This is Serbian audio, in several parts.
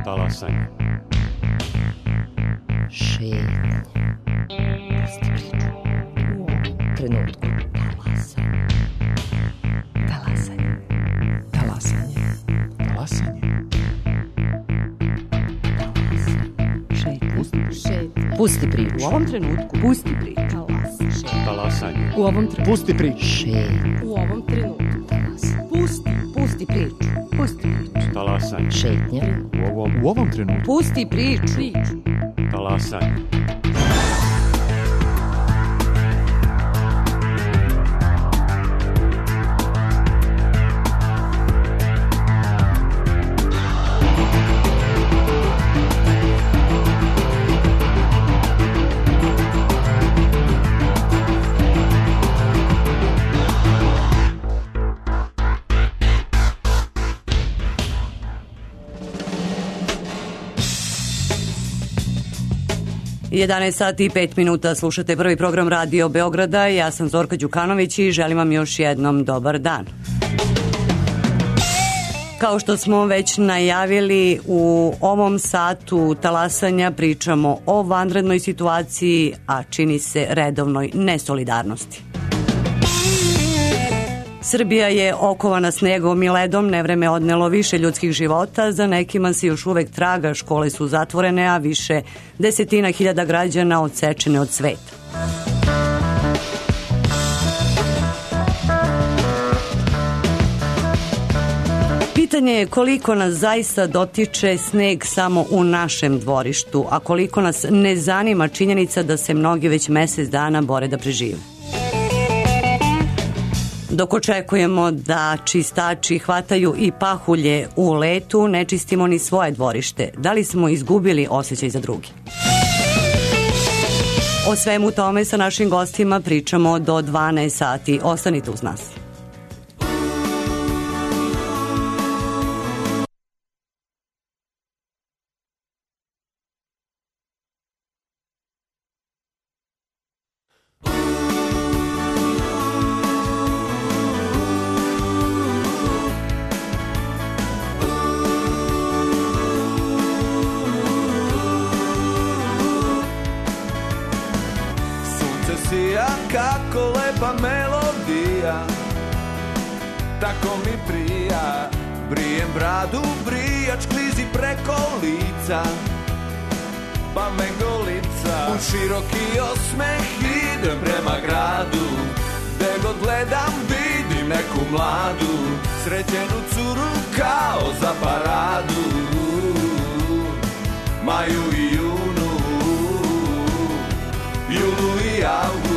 Talasanje. Šetnja. Pusti priču. U ovom trenutku. Talasanje. Talasanje. Talasanje. Šetnja. Pusti priču. U ovom trenutku. Pusti priču. Talasanje. U ovom trenutku. Pusti priču. Šetnja. U ovom trenutku. Pusti priču. Pusti priču. Talasanje. Šetnja. U ovom trenutku. Pusti priču. Talasanje. Jedanaest sati i 5 minuta, slušate prvi program Radio Beograda. Ja sam Zorka Đukanović i želim vam još jednom dobar dan. Kao što smo već najavili, u ovom satu talasanja pričamo o vanrednoj situaciji, a čini se redovnoj nesolidarnosti. Srbija je okovana snegom i ledom, nevreme odnelo više ljudskih života, za nekima se još uvek traga, škole su zatvorene, a više desetina hiljada građana odsečene od sveta. Pitanje je koliko nas zaista dotiče sneg samo u našem dvorištu, a koliko nas ne zanima činjenica da se mnogi već mesec dana bore da prežive. Dok očekujemo da čistači hvataju i pahulje u letu, ne čistimo ni svoje dvorište. Da li smo izgubili osjećaj za drugi? O svemu tome sa našim gostima pričamo do 12 sati. Ostanite uz nas. Kako lepa melodija, tako mi prija. Brijem bradu, brijač klizi preko lica, pa me golica. U široki osmeh idem prema gradu, gde god gledam vidim neku mladu, srećenu curu kao za paradu. Maju i junu, julu i avgustu.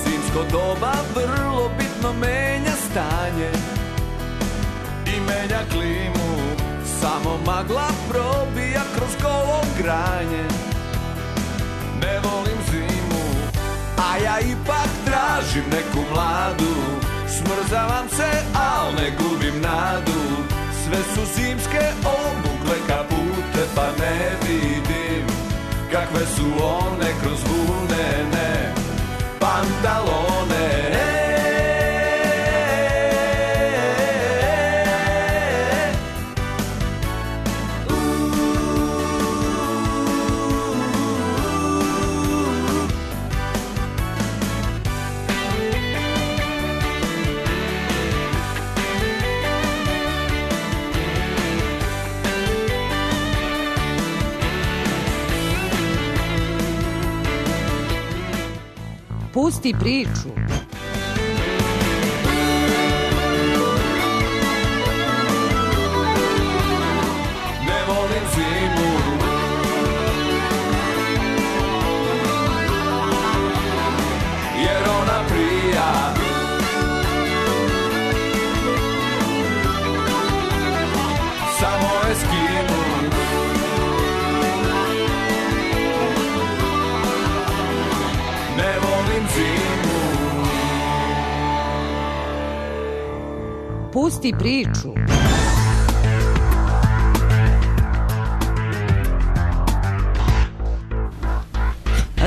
Zimsko doba vrlo bitno menja stanje i menja klimu. Samo magla probija kroz golo granje. Ne volim zimu, a ja ipak tražim neku mladu. Smrzavam se, al ne gubim nadu. Sve su zimske obukle kapute, pa ne vidim kakve su one kroz vunene pantalone. Pusti priču. Ne volim zimu, jer ona prija. Samo eskimo. Ne volim zimu. Pusti priču.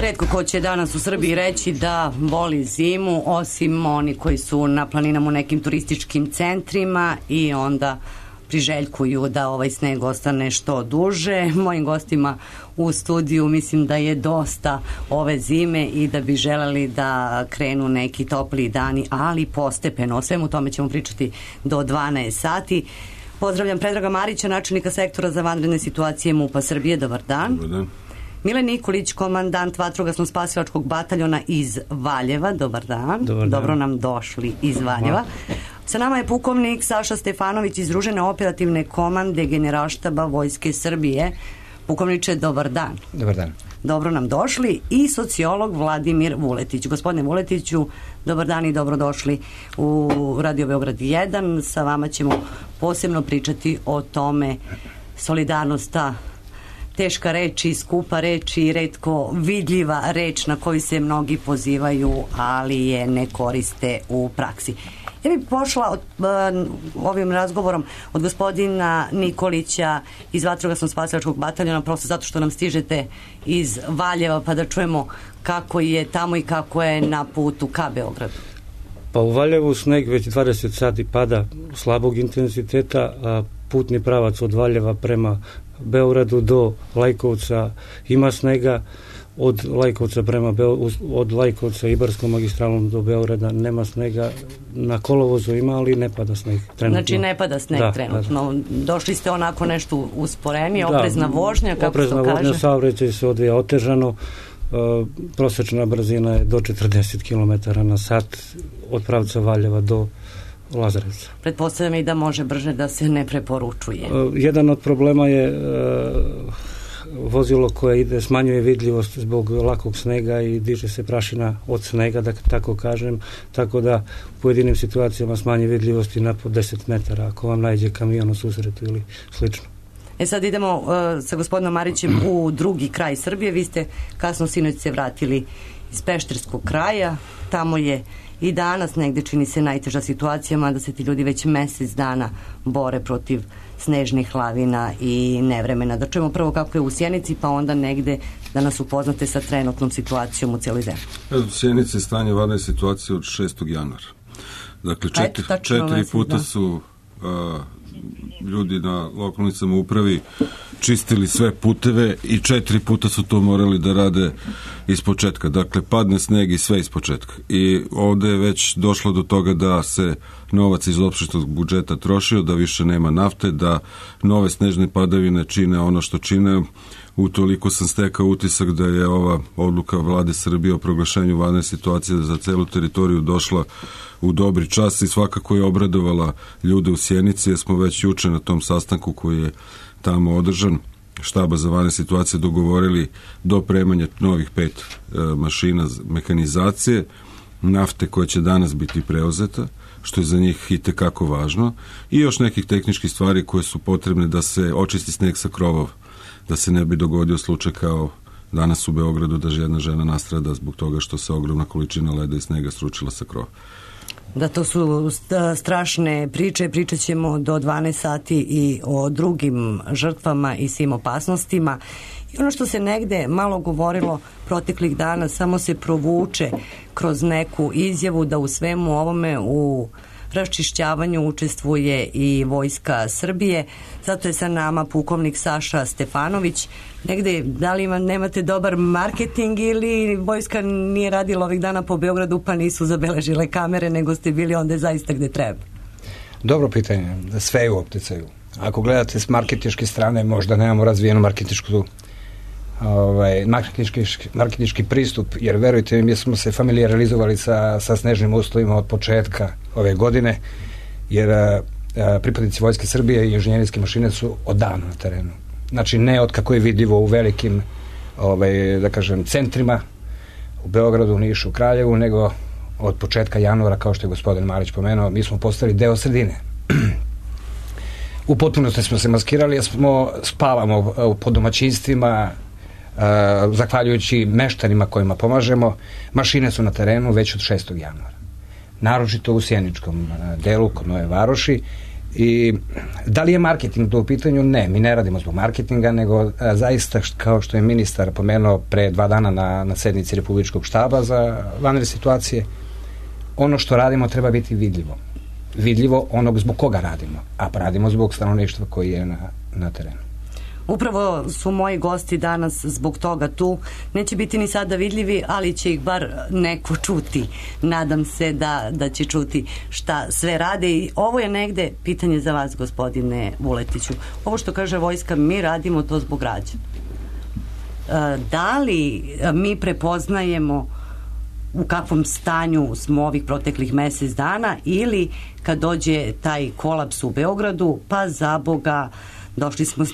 Retko ko će danas u Srbiji reći da voli zimu, osim oni koji su na planinama u nekim turističkim centrima i onda priželjkuju da ovaj sneg ostane što duže. Mojim gostima u studiju mislim da je dosta ove zime i da bi želeli da krenu neki topli dani, ali postepeno. O svemu tome ćemo pričati do 12 sati. Pozdravljam Predraga Marića, načelnika sektora za vanredne situacije MUP-a Srbije. Dobar dan. Dobar dan. Mile Nikolić, komandant vatrogasno-spasilačkog bataljona iz Valjeva. Dobar dan. Dobar dan. Dobro nam došli iz Valjeva. Sa nama je pukovnik Saša Stefanović iz Združene operativne komande Generalštaba Vojske Srbije. Pukovniče, dobar dan. Dobar dan. Dobro nam došli. I sociolog Vladimir Vuletić. Gospodine Vuletiću, dobar dan i dobrodošli u Radio Beograd 1. Sa vama ćemo posebno pričati o tome solidarnost, ta teška reč i skupa reč i retko vidljiva reč na koju se mnogi pozivaju, ali je ne koriste u praksi. Ja bih pošla ovim razgovorom od gospodina Nikolića iz vatrogasno-spasilačkog bataljona, prosto zato što nam stižete iz Valjeva, pa da čujemo kako je tamo i kako je na putu ka Beogradu. Pa u Valjevu sneg već 20 sati pada slabog intenziteta, a putni pravac od Valjeva prema Beogradu do Lajkovca ima snega. Od Lajkovca Ibarskom magistralom do Beograda nema snega. Na kolovozu ima, ali ne pada sneg trenutno. Znači ne pada sneg trenutno. Došli ste onako nešto usporeni, oprezna vožnja, kako se to kaže? Oprezna vožnja, saobraćaj se odvija otežano. Prosečna brzina je do 40 km na sat od pravca Valjeva do Lazarevca. Pretpostavljam i da može brže da se ne preporučuje. Jedan od problema je vozilo koje ide, smanjuje vidljivost zbog lakog snega i diže se prašina od snega, da tako kažem, tako da u pojedinim situacijama smanje vidljivosti na po 10 metara ako vam nađe kamion u susretu ili slično. Sad idemo sa gospodinom Marićem u drugi kraj Srbije. Vi ste kasno sinoć se vratili iz Pešterskog kraja. Tamo je i danas negde čini se najteža situacija, mada se ti ljudi već mesec dana bore protiv snežnih lavina i nevremena. Da čujemo prvo kako je u Sjenici, pa onda negde da nas upoznate sa trenutnom situacijom u cijeloj zemlji. U Sjenici je stanje vanredne situacije od 6. januara. Dakle, četiri puta su ljudi na lokalnoj samoupravi čistili sve puteve i 4 puta su to morali da rade iz početka. Dakle, padne sneg i sve iz početka. I ovde je već došlo do toga da se novac iz opštinskog budžeta trošio, da više nema nafte, da nove snežne padavine čine ono što čine. Utoliko sam stekao utisak da je ova odluka Vlade Srbije o proglašenju vanredne situacije za celu teritoriju došla u dobri čas i svakako je obradovala ljude u Sjenici, jer smo već juče na tom sastanku koji je tamo održan štaba za vanredne situacije dogovorili dopremanje novih 5 mašina mehanizacije, nafte koja će danas biti preuzeta, što je za njih itekako važno, i još nekih tehničkih stvari koje su potrebne da se očisti sneg sa krovova, da se ne bi dogodio slučaj kao danas u Beogradu da jedna žena nastrada zbog toga što se ogromna količina leda i snega sručila sa krova. Da, to su strašne priče. Pričat ćemo do 12 sati i o drugim žrtvama i svim opasnostima. I ono što se negde malo govorilo proteklih dana samo se provuče kroz neku izjavu da u svemu ovome u raščišćavanju učestvuje i Vojska Srbije. Zato je sa nama pukovnik Saša Stefanović. Negde, da li nemate dobar marketing ili Vojska nije radila ovih dana po Beogradu pa nisu zabeležile kamere, nego ste bili onda zaista gde treba? Dobro pitanje. Sve je u opticaju. Ako gledate s marketinške strane, možda nemamo razvijenu marketinški pristup, jer verujte mi smo se familijarizovali sa snežnim uslovima od početka ove godine, jer pripadnici Vojske Srbije i inženjerijske mašine su odavno na terenu. Znači ne od kako je vidljivo u velikim da kažem centrima u Beogradu, Nišu, Kraljevu, nego od početka januara, kao što je gospodin Marić pomenuo, mi smo postali deo sredine. U potpunosti smo se maskirali, jer spavamo po domaćinstvima, zahvaljujući meštanima kojima pomažemo. Mašine su na terenu već od 6. januara. Naročito u sjeničkom delu kod Nove Varoši, i Da li je marketing to u pitanju? Ne, mi ne radimo zbog marketinga, nego zaista, kao što je ministar pomenuo pre 2 dana na sednici Republičkog štaba za vanredne situacije, ono što radimo treba biti vidljivo. Vidljivo onog zbog koga radimo, a radimo zbog stanovništva koji je na terenu. Upravo su moji gosti danas zbog toga tu. Neće biti ni sada vidljivi, ali će ih bar neko čuti. Nadam se da će čuti šta sve rade. I ovo je negde pitanje za vas, gospodine Vuletiću. Ovo što kaže vojska, mi radimo to zbog građana. Da li mi prepoznajemo u kakvom stanju smo ovih proteklih mesec dana, ili kad dođe taj kolaps u Beogradu, pa za Boga došli smo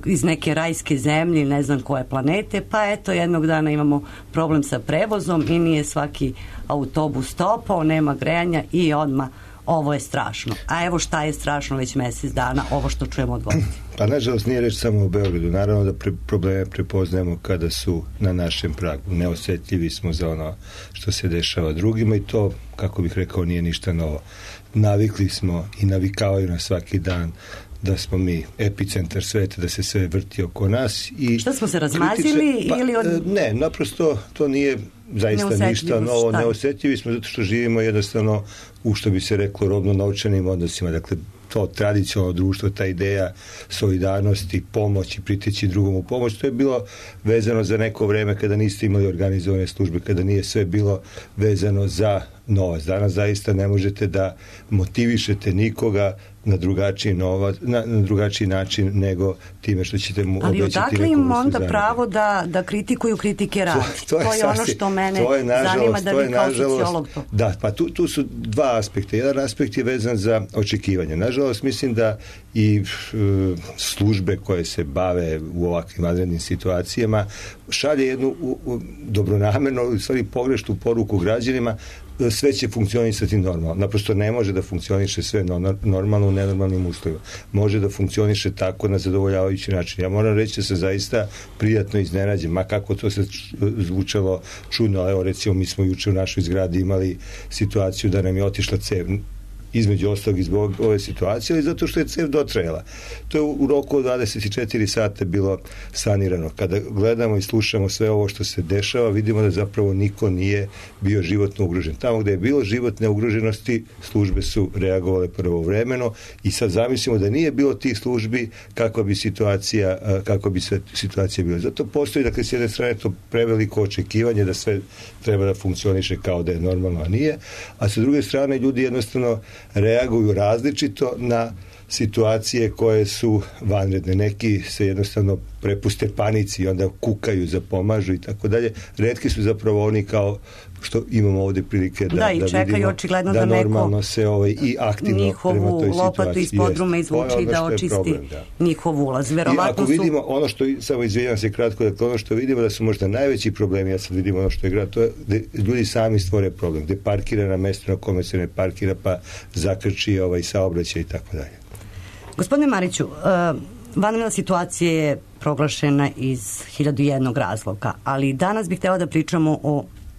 iz neke rajske zemlje, ne znam koje planete, pa eto jednog dana imamo problem sa prevozom i nije svaki autobus stopao, nema grejanja i odmah ovo je strašno. A evo šta je strašno već mesec dana, ovo što čujemo od gosti. Pa nažalost nije reč samo o Beogradu. Naravno da probleme prepoznajemo kada su na našem pragu. Neosetljivi smo za ono što se dešava drugima i to, kako bih rekao, nije ništa novo. Navikli smo i navikavaju na svaki dan da smo mi epicentar sveta, da se sve vrti oko nas. I šta smo se razmazili? Ili ne, naprosto to nije zaista ništa novo. Neosetljivi smo zato što živimo jednostavno u, što bi se reklo, robno-novčanim odnosima. Dakle, to tradicionalno društvo, ta ideja solidarnosti, pomoći, priteći drugom u pomoć, to je bilo vezano za neko vreme kada niste imali organizovane službe, kada nije sve bilo vezano za novac. Danas zaista ne možete da motivišete nikoga na drugačiji način nego time što ćete mu obećati neku vrstu zagrade. Ali odakle im onda pravo da kritikuju kritike rad? To je ono što mene zanima, da vi kao sociolog to. Da, pa tu su dva aspekta. Jedan aspekt je vezan za očekivanje. Nažalost, mislim da i službe koje se bave u ovakvim vanrednim situacijama šalje jednu dobronamerno, u stvari pogrešnu poruku građanima, sve će funkcionisati normalno. Naprosto ne može da funkcioniše sve normalno u nenormalnim uslovima. Može da funkcioniše tako na zadovoljavajući način. Ja moram reći da se zaista prijatno iznenađen, ma kako to se zvučalo čudno, ali evo recimo mi smo juče u našoj zgradi imali situaciju da nam je otišla cev, između ostalog zbog ove situacije, ali zato što je cev dotrajala. To je u roku od 24 sata bilo sanirano. Kada gledamo i slušamo sve ovo što se dešava, vidimo da zapravo niko nije bio životno ugrožen. Tamo gde je bilo životne ugroženosti, službe su reagovale pravovremeno i sad zamislimo da nije bilo tih službi, kako bi situacija bila. Zato postoji, dakle, s jedne strane to preveliko očekivanje da sve treba da funkcioniše kao da je normalno, a nije, a sa druge strane ljudi jednostavno reaguju različito na situacije koje su vanredne. Neki se jednostavno prepuste panici i onda kukaju, zapomažu i tako dalje. Retki su zapravo oni kao što imamo ovde prilike da vidimo da normalno se i aktivno prema toj situaciji. Njihovu lopatu iz podruma izvuči i da očisti njihov ulaz. Verovatno I ako vidimo ono što, samo izvinjam se kratko, dakle ono što vidimo da su možda najveći problemi, ja sad vidim ono što je grad, to je da ljudi sami stvore problem, gde parkira na mesto na kome se ne parkira, pa zakrči saobraćaj i tako dalje. Gospodine Mariću, vanredna situacija je proglašena iz 1001 razloga, ali danas bih htjela da pričamo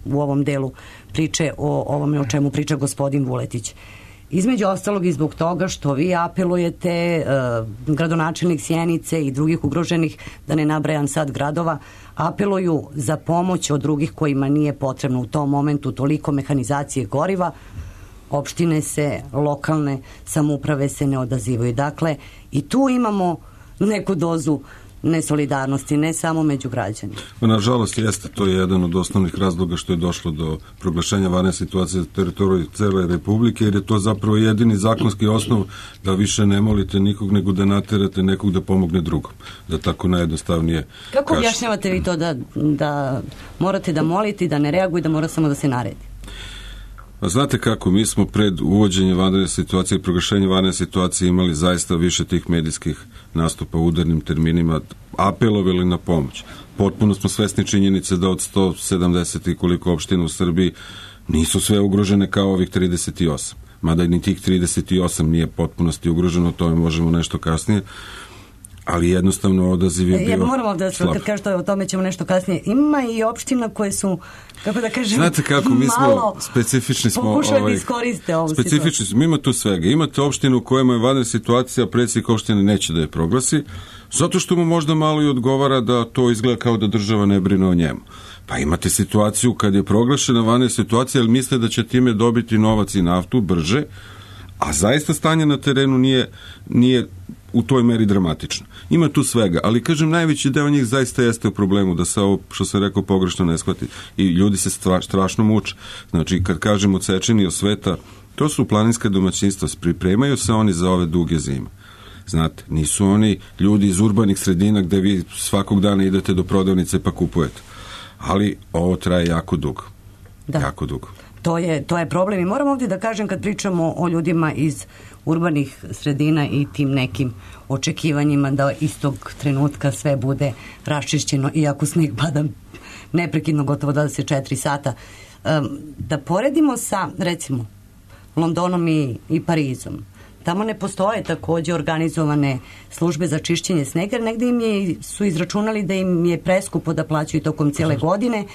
u ovom delu priče o ovome o čemu priča gospodin Vuletić. Između ostalog i zbog toga što vi apelujete, gradonačelnik Sjenice i drugih ugroženih, da ne nabrajam sad gradova, apeluju za pomoć od drugih kojima nije potrebno u tom momentu toliko mehanizacije goriva. Opštine se, lokalne samouprave se ne odazivaju. Dakle, i tu imamo neku dozu nesolidarnosti, ne samo među građanima. Nažalost, jeste, to je jedan od osnovnih razloga što je došlo do proglašenja vanredne situacije za teritoriju cele Republike, jer je to zapravo jedini zakonski osnov da više ne molite nikog, nego da naterate nekog da pomogne drugom. Da tako najjednostavnije Kako objašnjavate vi to da morate da molite, da ne reaguju, da mora samo da se naredi? A znate kako, mi smo pred uvođenjem vanredne situacije i proglašenje vanredne situacije imali zaista više tih medijskih nastupa u udarnim terminima, apelovali na pomoć. Potpuno smo svesni činjenice da od 170 i koliko opština u Srbiji nisu sve ugrožene kao ovih 38. Mada ni tih 38 nije potpunosti ugroženo, o tome možemo nešto kasnije. ali jednostavno odaziv je bio ja moram ovdje kad kažete o tome ćemo nešto kasnije. Ima i opština koje su, kako da kažem, znate kako, mi smo specifični smo, pokušali da iskoriste ovu specifični smo, ima tu svega. Imate opštinu u kojima je vanredna situacija, predsjednik opštine neće da je proglasi, zato što mu možda malo i odgovara da to izgleda kao da država ne brine o njemu. Pa imate situaciju kad je proglašena vanredna situacija, ali misle da će time dobiti novac i naftu brže, a zaista stanje na terenu nije u toj meri dramatično. Ima tu svega, ali kažem, najveći deo njih zaista jeste u problemu da se ovo, što sam rekao, pogrešno ne shvati. I ljudi se strašno muče. Znači, kad kažemo odsečeni od sveta, to su planinska domaćinstva, pripremaju se oni za ove duge zime. Znate, nisu oni ljudi iz urbanih sredina gde vi svakog dana idete do prodavnice pa kupujete. Ali ovo traje jako dugo. Da. Jako dugo. To je problem i moram ovdje da kažem kad pričamo o ljudima iz urbanih sredina i tim nekim očekivanjima da istog trenutka sve bude raščišćeno iako sneg pada neprekidno gotovo 24 sata. Da poredimo sa recimo Londonom i Parizom. Tamo ne postoje takođe organizovane službe za čišćenje snega, jer negde su izračunali da im je preskupo da plaćaju tokom cijele godine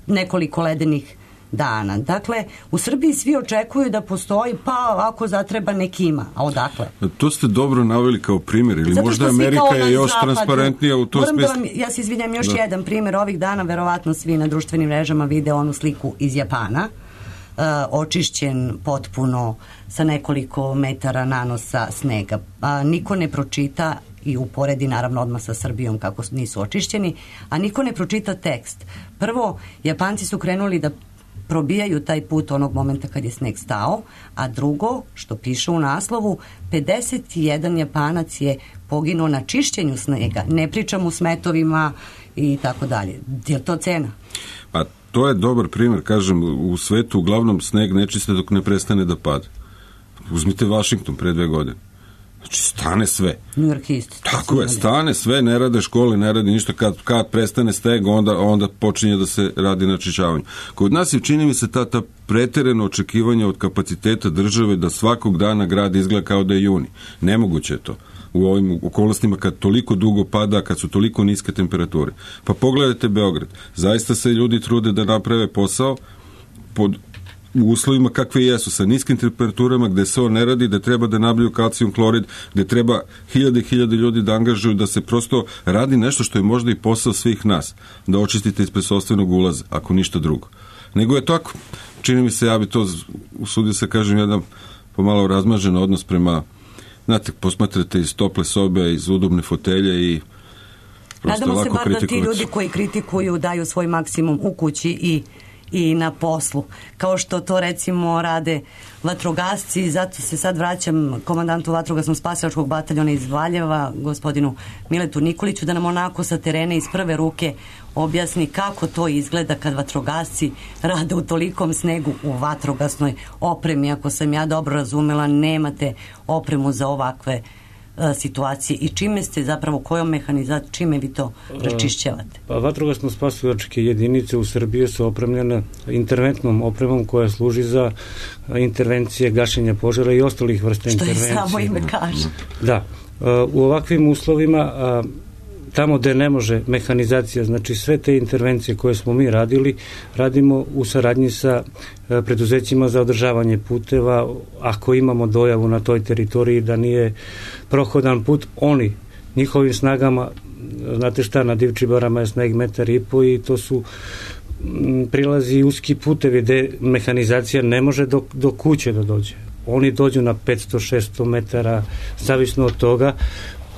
nekoliko ledenih dana. Dakle, u Srbiji svi očekuju da postoji, pa ako zatreba neki ima. A odakle? To ste dobro naveli kao primjer, ili možda Amerika je još transparentnija u tom smislu. Ja se izvinjam, još jedan primjer. Ovih dana verovatno svi na društvenim mrežama vide onu sliku iz Japana, očišćen potpuno sa nekoliko metara nanosa snega. Niko ne pročita i uporedi naravno odmah sa Srbijom kako nisu očišćeni, a niko ne pročita tekst. Prvo, Japanci su krenuli da probijaju taj put onog momenta kad je sneg stao, a drugo, što piše u naslovu, 51 Japanac je poginuo na čišćenju snega. Ne pričam u smetovima i tako dalje. Je to cena? Pa to je dobar primjer, kažem, u svetu uglavnom sneg ne čiste dok ne prestane da pada. Uzmite Washington pre 2 godine. Znači, stane sve. New York isto. Tako je, stane sve, ne rade škole, ne radi ništa. Kad prestane sneg, onda počinje da se radi na čišćavanju. Kod nas je, čini mi se, ta preterano očekivanja od kapaciteta države da svakog dana grad izgleda kao da je juni. Nemoguće je to u ovim okolnostima kad toliko dugo pada, kad su toliko niske temperature. Pa pogledajte Beograd. Zaista se ljudi trude da naprave posao pod u uslovima kakve jesu, sa niskim temperaturama, gde se on ne radi, gde treba da nabiju kalcijum klorid, gde treba hiljade ljudi da angažuju, da se prosto radi nešto što je možda i posao svih nas, da očistite ispred sopstvenog ulaza, ako ništa drugo. Nego je tako, čini mi se, ja bi to usudio se kažem, jedan pomalo razmažen odnos prema, znate, posmatrate iz tople sobe, iz udobne fotelje i prosto nadamo lako kritikovati. Nadamo se bar da ti ljudi koji kritikuju daju svoj maksimum u kući i na poslu, kao što to recimo rade vatrogasci. Zato se sad vraćam komandantu vatrogasnog spasilačkog bataljona iz Valjeva, gospodinu Miletu Nikoliću, da nam onako sa terena iz prve ruke objasni kako to izgleda kad vatrogasci rade u tolikom snegu u vatrogasnoj opremi. Ako sam ja dobro razumela, nemate opremu za ovakve situacije i čime ste zapravo, kojom mehanizacijom, čime vi to račišćavate? Pa vatrogasno spasilačke jedinice u Srbiji su opremljene interventnom opremom koja služi za intervencije, gašenja požara i ostalih vrsta intervencije. Što je samo ime kaže. Da. U ovakvim uslovima tamo gde ne može mehanizacija, znači sve te intervencije koje smo mi radili, radimo u saradnji sa preduzećima za održavanje puteva. Ako imamo dojavu na toj teritoriji da nije prohodan put, oni njihovim snagama, znate šta, na Divčibarama je sneg 1,5 m i to su prilazi uski putevi gde mehanizacija ne može do kuće da dođe. Oni dođu na 500-600 metara, zavisno od toga.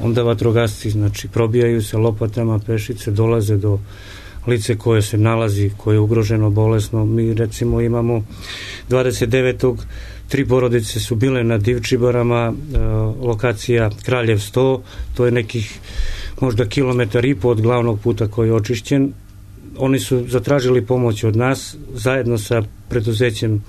Onda vatrogasci, znači, probijaju se lopatama pešice, dolaze do lice koje se nalazi, koje je ugroženo, bolesno. Mi recimo imamo 29. 3 porodice su bile na Divčibarama, lokacija Kraljev 100, to je nekih možda 1,5 km od glavnog puta koji je očišćen. Oni su zatražili pomoć od nas, zajedno sa preduzećem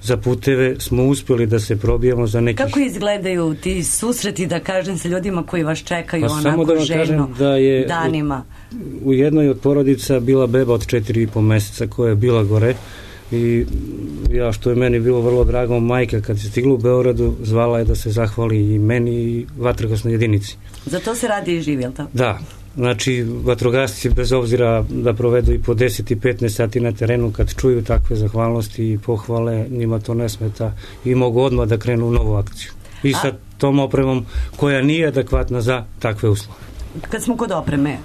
za puteve smo uspjeli da se probijemo za nekih... Kako izgledaju ti susreti, da kažem, sa ljudima koji vas čekaju onako da željno da je danima? U jednoj od porodica bila beba od 4,5 meseca koja je bila gore i ja, što je meni bilo vrlo drago, majka kad se stigla u Beogradu zvala je da se zahvali i meni i vatrogasnoj jedinici. Za to se radi i živi, je li tako? Da, znači vatrogasci bez obzira da provedu i po 10 i 15 sati na terenu, kad čuju takve zahvalnosti i pohvale, njima to ne smeta i mogu odmah da krenu u novu akciju. I sa tom opremom koja nije adekvatna za takve uslove. Kad smo kod opreme,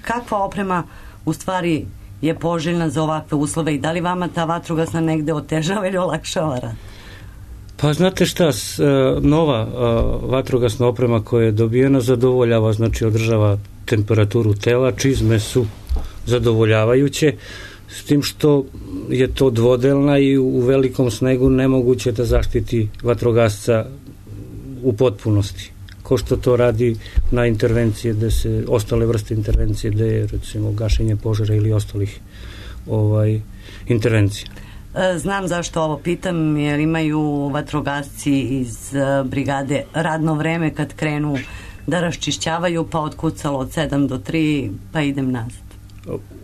kakva oprema u stvari je poželjna za ovakve uslove i da li vama ta vatrogasna negde otežava ili olakšava rad? Pa znate šta, nova vatrogasna oprema koja je dobijena zadovoljava, znači održava temperaturu tela, čizme su zadovoljavajuće, s tim što je to dvodelna i u velikom snegu nemoguće da zaštiti vatrogasca u potpunosti, ko što to radi na intervencije gde se, ostale vrste intervencije gde je recimo gašenje požara ili ostalih intervencija. Znam zašto ovo pitam, jer imaju vatrogasci iz brigade radno vreme kad krenu da raščišćavaju, pa otkucalo od 7 do 3, pa idem nazad.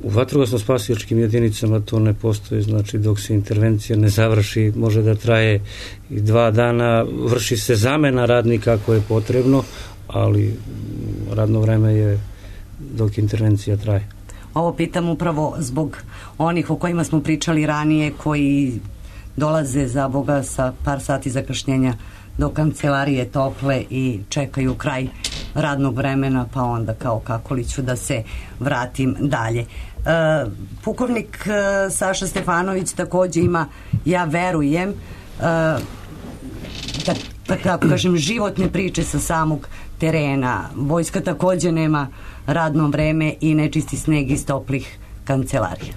U vatrogasno-spasilačkim jedinicama to ne postoji, znači dok se intervencija ne završi, može da traje i 2 dana, vrši se zamena radnika ako je potrebno, ali radno vreme je dok intervencija traje. Ovo pitam upravo zbog onih o kojima smo pričali ranije, koji dolaze za Boga sa par sati zakašnjenja do kancelarije tople i čekaju kraj radnog vremena, pa onda kao kako li ću da se vratim dalje. Pukovnik Saša Stefanović takođe ima, ja verujem, da kažem, životne priče sa samog terena. Vojska takođe nema radno vreme i ne čisti sneg iz toplih kancelarija.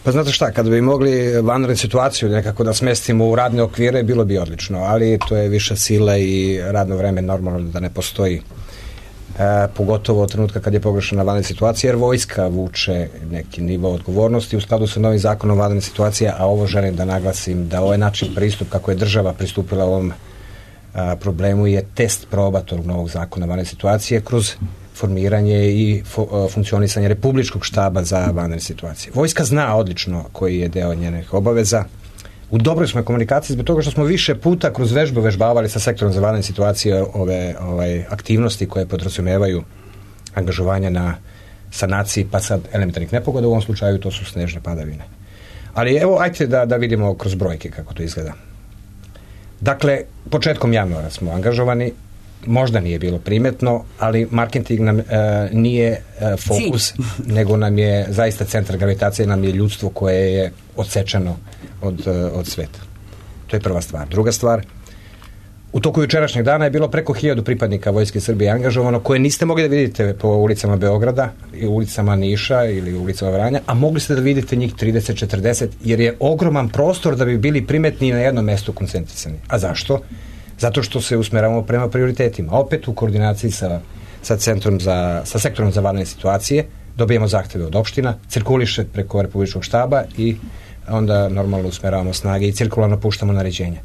Pa znate šta, kada bi mogli vanrednu situaciju nekako da smestimo u radne okvire, bilo bi odlično, ali to je viša sila i radno vreme normalno da ne postoji. Pogotovo od trenutka kad je pogrešena vanredna situacija, jer vojska vuče neki nivo odgovornosti u skladu sa novim zakonom vanredne situacije, a ovo želim da naglasim da ovaj način pristup kako je država pristupila ovom problemu je test proba tog novog zakona vanredne situacije kroz formiranje i funkcionisanje Republičkog štaba za vanredne situacije. Vojska zna odlično koji je deo njenih obaveza. U dobroj smo komunikaciji zbog toga što smo više puta kroz vežbu vežbavali sa sektorom za vanredne situacije ove aktivnosti koje podrazumevaju angažovanja na sanaciji pa sad elementarnih nepogoda, u ovom slučaju to su snežne padavine. Ali evo, ajte da vidimo kroz brojke kako to izgleda. Dakle, početkom januara smo angažovani, možda nije bilo primetno, ali marketing nam nije fokus, nego nam je zaista centar gravitacije, nam je ljudstvo koje je odsečeno od sveta. To je prva stvar. Druga stvar, u toku jučerašnjeg dana je bilo preko 1000 pripadnika Vojske Srbije angažovano, koje niste mogli da vidite po ulicama Beograda i ulicama Niša ili ulicama Vranja, a mogli ste da vidite njih 30-40, jer je ogroman prostor da bi bili primetni na jednom mestu koncentrisani. A zašto? Zato što se usmeravamo prema prioritetima. Opet u koordinaciji sa sektorom za vanredne situacije dobijemo zahteve od opština, cirkuliše preko Republičkog štaba i onda normalno usmeravamo snage i cirkularno puštamo naređenja.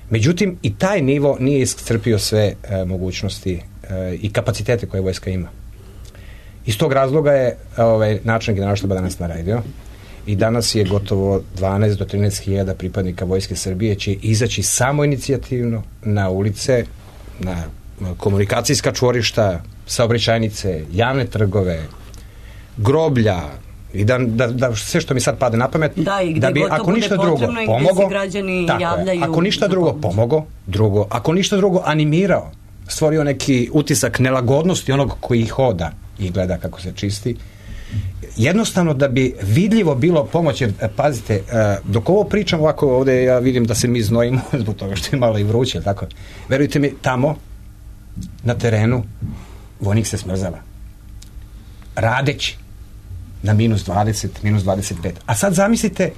Međutim, i taj nivo nije iscrpio sve mogućnosti i kapacitete koje vojska ima. Iz tog razloga je načelnik Generalštaba danas naredio i danas je gotovo 12 do 13 hiljada pripadnika Vojske Srbije će izaći samoinicijativno na ulice, na komunikacijska čvorišta, saobraćajnice, javne trgove, groblja, i da sve što mi sad pade na pamet, da bi ako ništa drugo pomogao, ako ništa drugo pomogao, ako ništa drugo animirao, stvorio neki utisak nelagodnosti onog koji hoda i gleda kako se čisti, jednostavno da bi vidljivo bilo pomoć, jer pazite, dok ovo pričam ovako ovde, ja vidim da se mi znojimo zbog toga što je malo i vruće, tako, verujte mi, tamo na terenu vojnik se smrzava radeći na -20, -25. A sad zamislite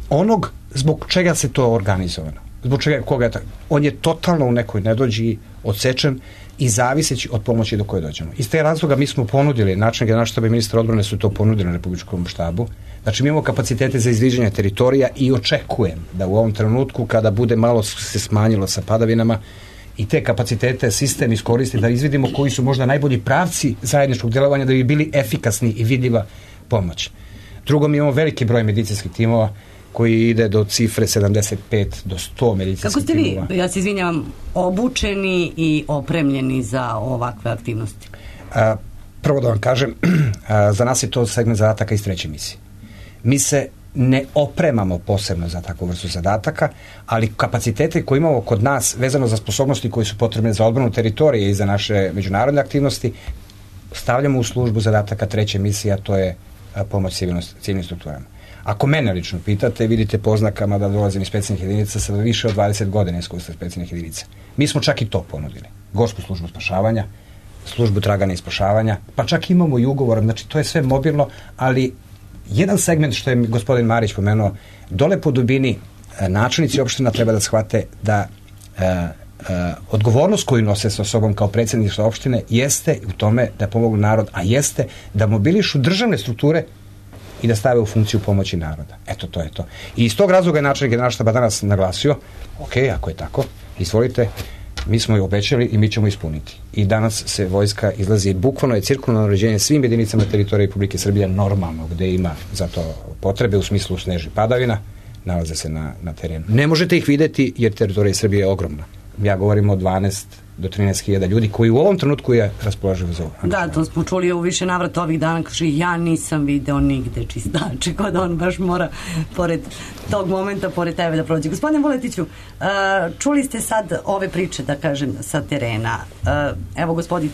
onog zbog čega se to organizovano. Zbog čega, koga je tako? On je totalno u nekoj nedođi, odsečen i zaviseći od pomoći do koje dođemo. Iz te razloga mi smo ponudili, načelnik Generalštaba i ministar odbrane su to ponudili na Republičkom štabu. Znači mi imamo kapacitete za izviđanje teritorija i očekujem da u ovom trenutku kada bude malo se smanjilo sa padavinama i te kapacitete sistem iskoristi da izvidimo koji su možda najbolji pravci zajedničkog djelovanja da bi bili efikasni i vidljiva pomoć. Drugo, mi imamo veliki broj medicinskih timova koji ide do cifre 75 do 100 medicinskih timova. Kako ste vi, ja se izvinjavam, obučeni i opremljeni za ovakve aktivnosti? Prvo da vam kažem, za nas je to segment zadataka iz 3. misije. Mi se ne opremamo posebno za takvu vrstu zadataka, ali kapacitete koje imamo kod nas vezano za sposobnosti koje su potrebne za odbranu teritorije i za naše međunarodne aktivnosti stavljamo u službu zadataka 3. misije, a to je pomoć civilnim strukturama. Ako mene lično pitate, vidite po oznakama da dolazim iz specijalnih jedinica sa više od 20 godina iskustva specijalnih jedinica. Mi smo čak i to ponudili. Gorsku službu spašavanja, službu traganja i spašavanja, pa čak imamo i ugovor, znači to je sve mobilno, ali jedan segment što je gospodin Marić pomenuo, dole po dubini načelnici opština treba da shvate da odgovornost koju nose sa sobom kao predsjedništvo opštine jeste u tome da pomognu narod, a jeste da mobilišu državne strukture i da stave u funkciju pomoći naroda. Eto, to je to. I iz tog razloga je načelnik Generalštaba danas naglasio, ok, ako je tako, izvolite, mi smo je obećali i mi ćemo ispuniti. I danas se vojska izlazi, bukvalno je cirkularno uređenje svim jedinicama teritorije Republike Srbije normalno, gde ima za to potrebe u smislu snežnih padavina, nalaze se na terenu. Ne možete ih videti jer teritorija Srbije je ogromna. Ja govorim o 12 do 13.000 ljudi koji u ovom trenutku je raspoloživo za ovo. Da, to smo čuli u više navrata ovih dana, kaže ja nisam video nigde čistače, kod on baš mora pored tog momenta, pored tebe da prođe. Gospodine Vuletiću, čuli ste sad ove priče, da kažem, sa terena. Evo, gospodin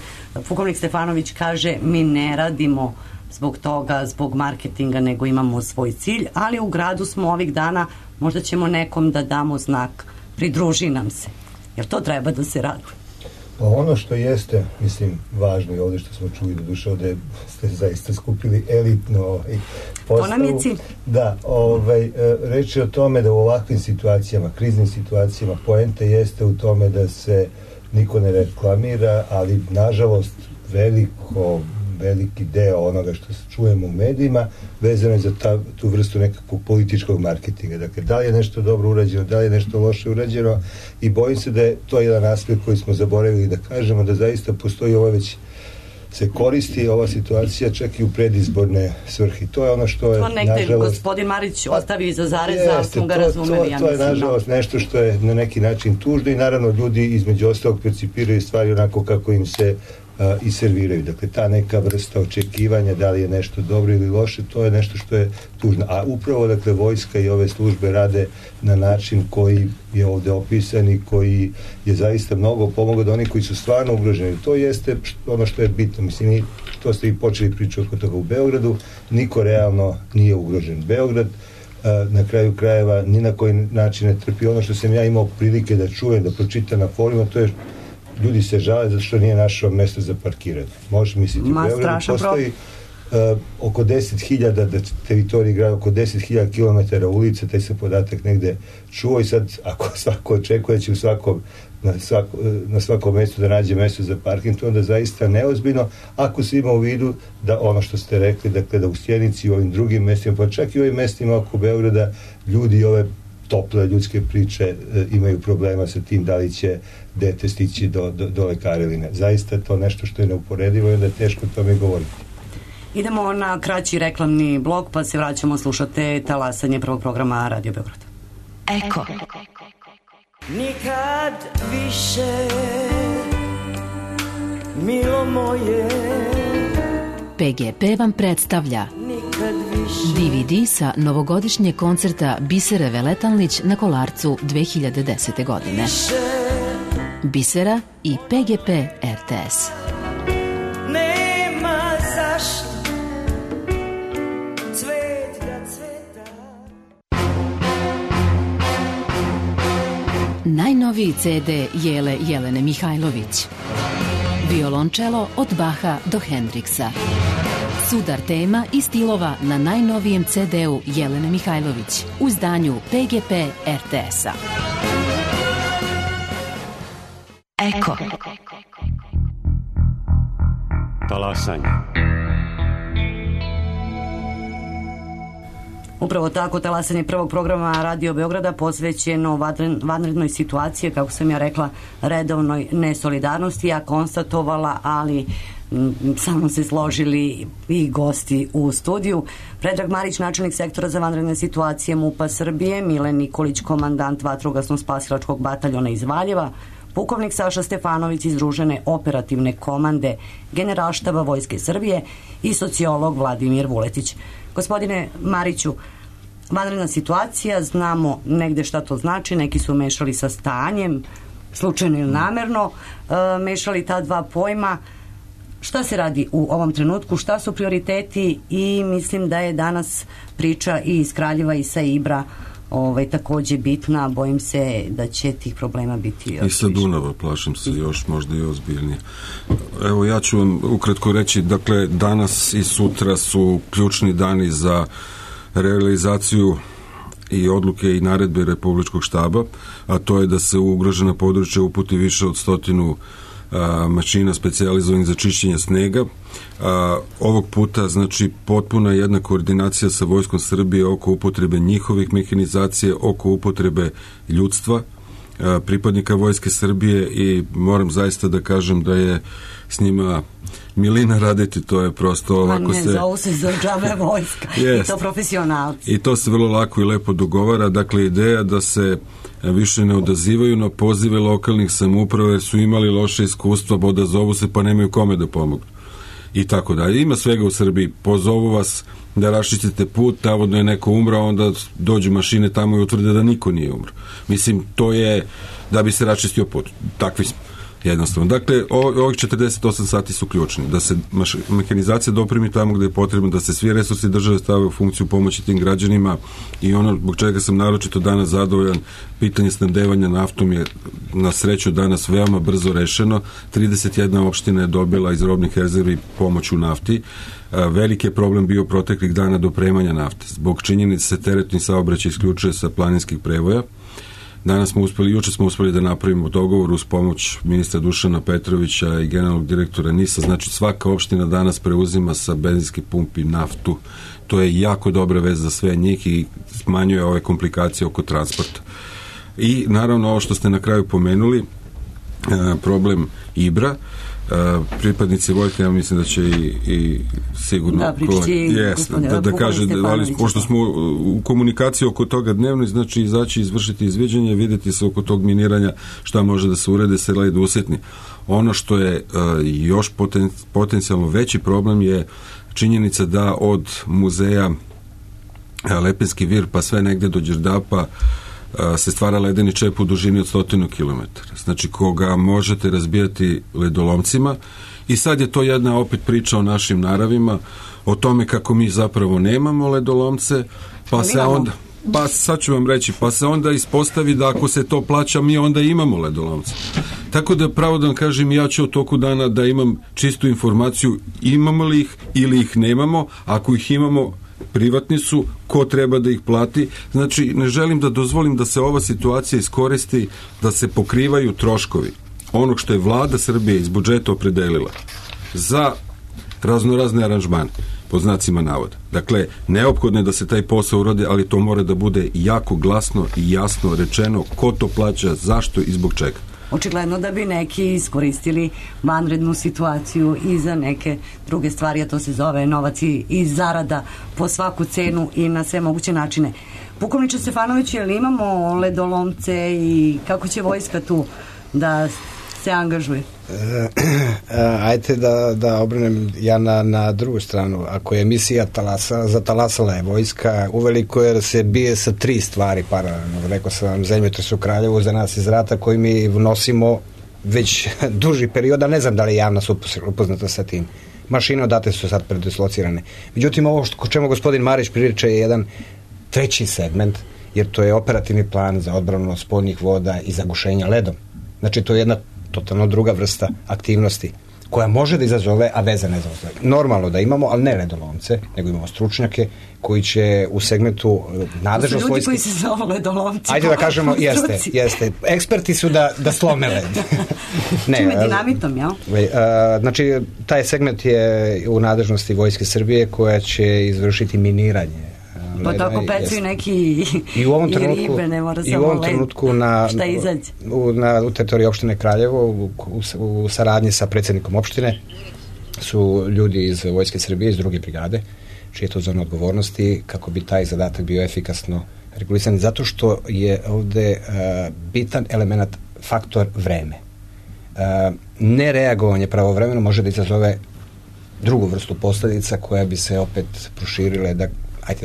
pukovnik Stefanović kaže, mi ne radimo zbog toga, zbog marketinga, nego imamo svoj cilj, ali u gradu smo ovih dana, možda ćemo nekom da damo znak, pridruži nam se. Jer to treba da se radi. Pa ono što jeste, mislim, važno i ovdje što smo čuli, do duše ovdje ste zaista skupili elitno postavu. To nam je cilj. Da, reč je o tome da u ovakvim situacijama, kriznim situacijama, poenta jeste u tome da se niko ne reklamira, ali nažalost veliki deo onoga što čujemo u medijima vezano je za tu vrstu nekakvog političkog marketinga. Dakle, da li je nešto dobro urađeno, da li je nešto loše urađeno i bojim se da je to jedan aspekt koji smo zaboravili da kažemo, da zaista postoji ovo već se koristi ova situacija čak i u predizborne svrhe. To je ono što je, nažalost... To negde gospodin Marić ostavi iza zareza, smo ga razumeli. To je, nažalost, nešto što je na neki način tužno i naravno ljudi između ostalog percipiraju stvari onako kako im se i serviraju. Dakle, ta neka vrsta očekivanja da li je nešto dobro ili loše, to je nešto što je tužno. A upravo, dakle, vojska i ove službe rade na način koji je ovdje opisan i koji je zaista mnogo pomogao da oni koji su stvarno ugroženi. To jeste ono što je bitno. Mislim, to ste i počeli pričati oko toga u Beogradu. Niko realno nije ugrožen. Beograd na kraju krajeva ni na koji način ne trpi. Ono što sam ja imao prilike da čujem, da pročitam na forumima, to je ljudi se žale zato što nije našao mjesto za parkiranje. Možeš misliti, u Beogradu postoji oko 10.000 teritoriji grada, oko 10.000 km ulica, taj se podatak negde čuo i sad ako svako očekuje će na svakom mjestu da nađe mjesto za parking, to onda zaista neozbiljno, ako se ima u vidu da ono što ste rekli, dakle da u Sjenici i u ovim drugim mjestima, pa čak i u ovim mjestima oko Beograda, ljudi ove tople ljudske priče imaju problema sa tim da li će dete stići do lekara ili ne. Zaista je to nešto što je neuporedivo i onda je teško o tome govoriti. Idemo na kraći reklamni blok pa se vraćamo, slušate talasanje prvog programa Radio Beograd. Eko. Nikad više, milo moje. PGP vam predstavlja DVD sa novogodišnjeg koncerta Bisere Veletalnić na Kolarcu 2010. godine. Bisera i PGP RTS. Nema zašto cvet da cveta. Najnoviji CD Jelene Mihajlović. Violončelo od Baha do Hendriksa. Sudar tema i stilova na najnovijem CD-u Jelene Mihajlović u izdanju PGP RTS-a. Eko. Talasanje. Upravo tako, talasanje prvog programa Radio Beograda posvećeno vanrednoj situaciji, kako sam ja rekla, redovnoj nesolidarnosti, ja konstatovala, ali sa mnom se složili i gosti u studiju. Predrag Marić, načelnik sektora za vanredne situacije MUP-a Srbije, Milen Nikolić, komandant vatrogasno-spasilačkog bataljona iz Valjeva, pukovnik Saša Stefanović iz Združene operativne komande Generalštaba Vojske Srbije i sociolog Vladimir Vuletić. Gospodine Mariću, vanredna situacija, znamo negde šta to znači, neki su mešali sa stanjem, slučajno ili namerno, mešali ta dva pojma. Šta se radi u ovom trenutku, šta su prioriteti i mislim da je danas priča i iz Kraljeva i sa Ibra takođe bitna, bojim se da će tih problema biti i sa Dunava, plašim se još možda i ozbiljnije. Evo, ja ću vam ukratko reći, dakle, danas i sutra su ključni dani za realizaciju i odluke i naredbe Republičkog štaba, a to je da se u ugrožena područja uputi više od 100 mašina specijalizovanih za čišćenje snega. Ovog puta, znači, potpuna jedna koordinacija sa Vojskom Srbije oko upotrebe njihovih mehanizacije, oko upotrebe ljudstva, pripadnika Vojske Srbije, i moram zaista da kažem da je s njima milina raditi, to je prosto ovako se... zovu se za džabe vojska, i to profesionalci. I to se vrlo lako i lepo dogovara, dakle, ideja da se više ne odazivaju na pozive lokalnih samouprave, jer su imali loše iskustva, odazovu se pa nemaju kome da pomognu. I tako dalje. Ima svega u Srbiji, pozovu vas da raščistite put, navodno je neko umrao, onda dođu mašine tamo i utvrde da niko nije umro. Mislim, to je da bi se raščistio put. Takvi smo. Jednostavno. Dakle, ovih 48 sati su ključni. Da se mehanizacija dopremi tamo gde je potrebno, da se svi resursi države stave u funkciju pomoći tim građanima, i ono zbog čega sam naročito danas zadovoljan, pitanje snabdevanja naftom je na sreću danas veoma brzo rešeno. 31 opština je dobila iz robnih rezervi pomoć u nafti. Veliki je problem bio proteklih dana dopremanja nafte. Zbog činjenice se teretni saobraćaj isključuje sa planinskih prevoja. Juče smo uspeli da napravimo dogovor uz pomoć ministra Dušana Petrovića i generalnog direktora NIS-a, znači svaka opština danas preuzima sa benzinskih pumpi naftu. To je jako dobra vez za sve njih i smanjuje ove komplikacije oko transporta. I naravno ovo što ste na kraju pomenuli, problem Ibra, pripadnici vojske, ja mislim da će i sigurno da kaže, pošto smo u komunikaciji oko toga dnevno, znači izaći, izvršiti izviđenje, videti se oko tog miniranja šta može da se urede, se led usjetni. Ono što je još potencijalno veći problem je činjenica da od muzeja Lepenski vir pa sve negde do Đerdapa se stvara ledeni čep u dužini od 100 km. Znači, koga možete razbijati ledolomcima, i sad je to jedna opet priča o našim naravima, o tome kako mi zapravo nemamo ledolomce, pa se onda... Pa sad ću vam reći, pa se onda ispostavi da ako se to plaća, mi onda imamo ledolomce. Tako da, pravo da vam kažem, ja ću u toku dana da imam čistu informaciju, imamo li ih ili ih nemamo. Ako ih imamo, privatni su, ko treba da ih plati. Znači, ne želim da dozvolim da se ova situacija iskoristi, da se pokrivaju troškovi onog što je vlada Srbije iz budžeta opredelila za raznorazne aranžmane, pod znacima navoda. Dakle, neophodno je da se taj posao uradi, ali to mora da bude jako glasno i jasno rečeno ko to plaća, zašto i zbog čega. Očigledno da bi neki iskoristili vanrednu situaciju i za neke druge stvari, a to se zove novac i zarada po svaku cenu i na sve moguće načine. Pukovniče Stefanović, je li imamo ledolomce i kako će vojska tu da se angažuje? Ajte da obrnem ja na drugu stranu. Ako je misija zatalasala je vojska uveliko, jer se bije sa 3 stvari paralelno. Rekao sam vam, zemljotres u Kraljevu za nas iz rata koji mi nosimo već duži period, a ne znam da li je javnost upoznata sa tim. Mašine odate su sad predislocirane. Međutim, ovo o čemu gospodin Marić priča je jedan treći segment, jer to je operativni plan za odbranu spoljnih voda i zagušenja ledom. Znači, to je jedna totalno druga vrsta aktivnosti koja može da izazove, a vezane za ostale. Normalno da imamo, ali ne ledolomce, nego imamo stručnjake koji će u segmentu nadležnost vojske... To su ljudi koji se zove ledolomci. Ajde da kažemo, jeste. Eksperti su da slome led. Čime dinamitom, jel? Znači, taj segment je u nadležnosti Vojske Srbije koja će izvršiti miniranje. Pa tako pecaju neki i ribe, ne mora samo led. I u ovom trenutku u teritoriji opštine Kraljevo u saradnji sa predsjednikom opštine su ljudi iz Vojske Srbije, iz 2. brigade, čije je to zona odgovornosti, kako bi taj zadatak bio efikasno regulisan, zato što je ovde bitan element faktor vreme. Nereagovanje pravovremeno može da izazove drugu vrstu posledica koja bi se opet proširile,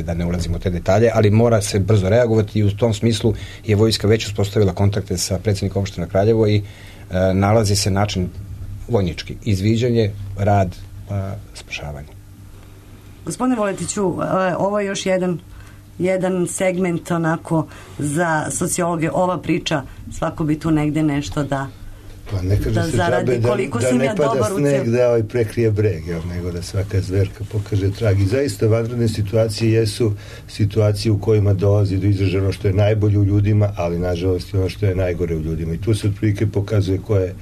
da ne ulazimo u te detalje, ali mora se brzo reagovati i u tom smislu je vojska već uspostavila kontakte sa predsjednikom opština Kraljevo i nalazi se način vojnički, izviđanje, rad, spašavanje. Gospodine Vuletiću, ovo je još jedan segment onako za sociologe, ova priča, svako bi tu negde nešto da zaradi, koliko si mi ja dobar u sneg da prekrije breg, nego da svaka zverka pokaže trag. I zaista vanredne situacije jesu situacije u kojima dolazi do izražaja ono što je najbolje u ljudima, ali nažalost i ono što je najgore u ljudima. I tu se otprilike pokazuje ko je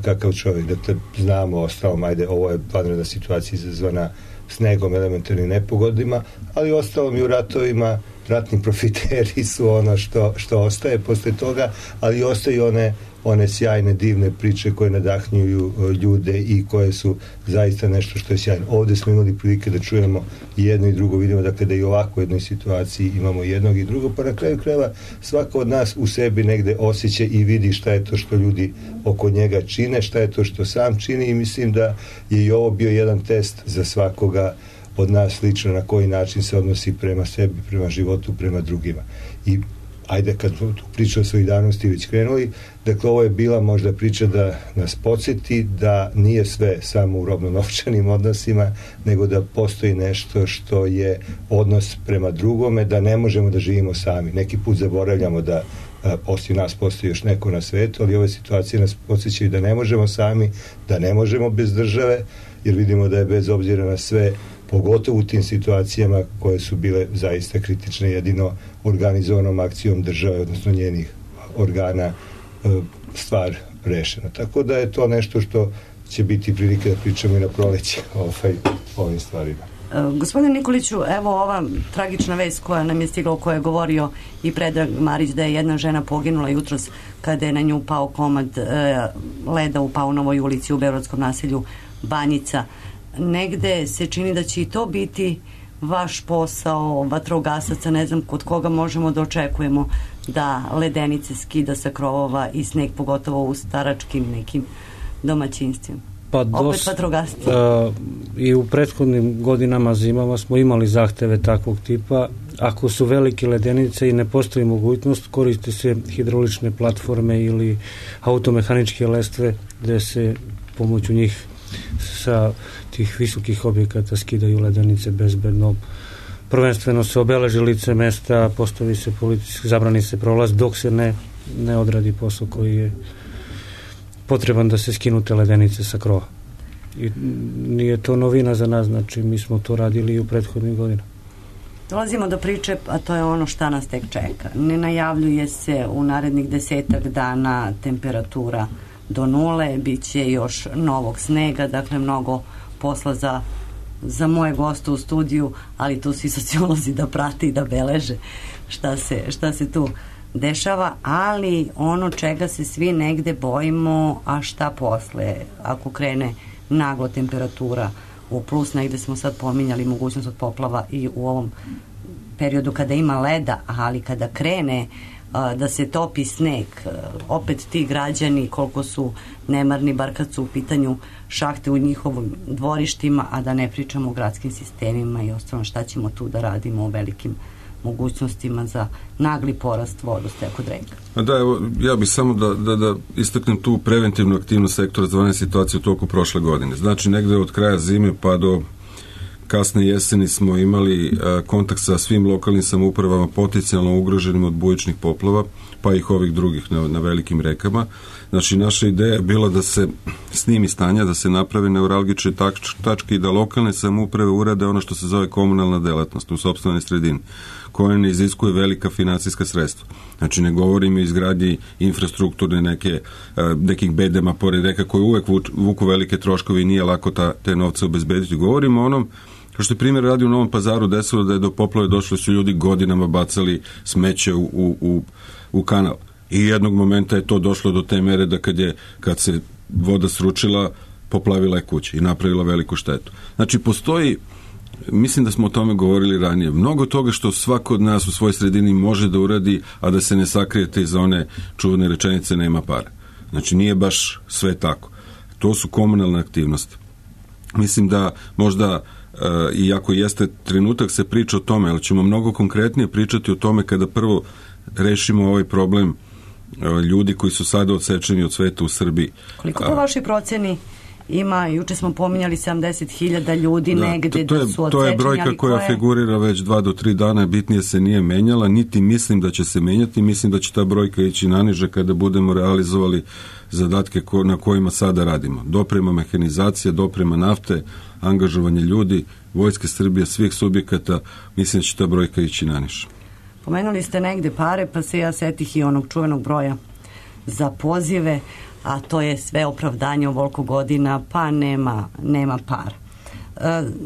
kakav čovjek. Dakle, znamo ostalom, ovo je vanredna situacija izazvana snegom, elementarnim nepogodima, ali ostalom i u ratovima ratni profiteri su ono što ostaje posle toga, ali ostaju one sjajne, divne priče koje nadahnjuju ljude i koje su zaista nešto što je sjajno. Ovde smo imali prilike da čujemo i jedno i drugo, vidimo dakle da i ovako u jednoj situaciji imamo jednog i drugog, pa na kraju krajeva svako od nas u sebi negde osjeća i vidi šta je to što ljudi oko njega čine, šta je to što sam čini i mislim da je i ovo bio jedan test za svakoga od nas lično na koji način se odnosi prema sebi, prema životu, prema drugima. I ajde kad tu priču o solidarnosti već krenuli, dakle ovo je bila možda priča da nas podsjeti da nije sve samo u robno-novčanim odnosima, nego da postoji nešto što je odnos prema drugome, da ne možemo da živimo sami. Neki put zaboravljamo da poslije nas postoji još neko na svetu, ali ove situacije nas podsjećaju da ne možemo sami, da ne možemo bez države, jer vidimo da je bez obzira na sve, pogotovo u tim situacijama koje su bile zaista kritične, jedino organizovanom akcijom države, odnosno njenih organa, stvar rešena. Tako da je to nešto što će biti prilike da pričamo i na proleće o ovim stvarima. Gospodine Nikoliću, evo ova tragična vest koja nam je stigla, o kojoj je govorio i Predrag Marić, da je jedna žena poginula jutros kada je na nju pao komad leda u Paunovoj ulici u beogradskom naselju Banjica. Negde se čini da će i to biti vaš posao vatrogasaca, ne znam kod koga možemo da očekujemo da ledenice skida sa krovova i sneg, pogotovo u staračkim nekim domaćinstvima. Opet vatrogasci. I u prethodnim godinama, zimama smo imali zahteve takvog tipa. Ako su velike ledenice i ne postoji mogućnost, koriste se hidraulične platforme ili automehaničke lestve gde se pomoću njih sa tih visokih objekata skidaju ledenice bezbedno. Prvenstveno se obeleži lice mesta, postavi se zabrani se prolaz dok se ne odradi posao koji je potreban da se skinu te ledenice sa krova. I nije to novina za nas, znači mi smo to radili i u prethodnim godinama. Dolazimo do priče, a to je ono šta nas tek čeka. Ne najavljuje se u narednih 10 dana temperatura do 0, bit će još novog snega, dakle mnogo posla za moje goste u studiju, ali tu svi sociolozi da prate i da beleže šta se tu dešava, ali ono čega se svi negde bojimo, a šta posle, ako krene naglo temperatura u plus, negde smo sad pominjali mogućnost od poplava i u ovom periodu kada ima leda, ali kada krene da se topi sneg, opet ti građani koliko su nemarni, bar kad su u pitanju šahte u njihovim dvorištima, a da ne pričamo o gradskim sistemima i ostalo, šta ćemo tu da radimo o velikim mogućnostima za nagli porast vodostaja kod reka. Da, evo, ja bih samo da istaknem tu preventivnu aktivnost sektora za vanredne situacije u toku prošle godine. Znači, negde od kraja zime pa do kasne jeseni smo imali kontakt sa svim lokalnim samoupravama potencijalno ugroženim od bujičnih poplava, pa ih ovih drugih na velikim rekama. Znači, naša ideja je bila da se snimi stanja, da se naprave neuralgične tačke i da lokalne samouprave urade ono što se zove komunalna delatnost u sopstvenoj sredini, koja ne iziskuje velika finansijska sredstva. Znači, ne govorim o izgradnji infrastrukturne nekih bedema pored reka koje uvek vuku velike troškovi i nije lako te novce obezbediti. Govorimo o onom kao što je primjer radi u Novom Pazaru desilo da je do poplave došlo, su ljudi godinama bacali smeće u kanal. I jednog momenta je to došlo do te mere da kad se voda sručila, poplavila je kuće i napravila veliku štetu. Znači, postoji, mislim da smo o tome govorili ranije, mnogo toga što svako od nas u svojoj sredini može da uradi, a da se ne sakrijete iza one čuvene rečenice nema para. Znači, nije baš sve tako. To su komunalne aktivnosti. Mislim da možda, iako jeste trenutak se priča o tome, ali ćemo mnogo konkretnije pričati o tome kada prvo rešimo ovaj problem ljudi koji su sada odsečeni od sveta u Srbiji. Koliko po vašoj proceni ima, juče smo pominjali 70.000 ljudi negde da su odsečeni? To je brojka koja figurira već 2 do 3 dana, bitnije se nije menjala, niti mislim da će se menjati, mislim da će ta brojka ići naniže kada budemo realizovali zadatke na kojima sada radimo. Doprema mehanizacija, doprema nafte, angažovanje ljudi, Vojske Srbije, svih subjekata, mislim da će ta brojka ići naniže. Pomenuli ste negde pare, pa se ja setih i onog čuvenog broja za pozive, a to je sve opravdanje ovoliko godina, pa nema para.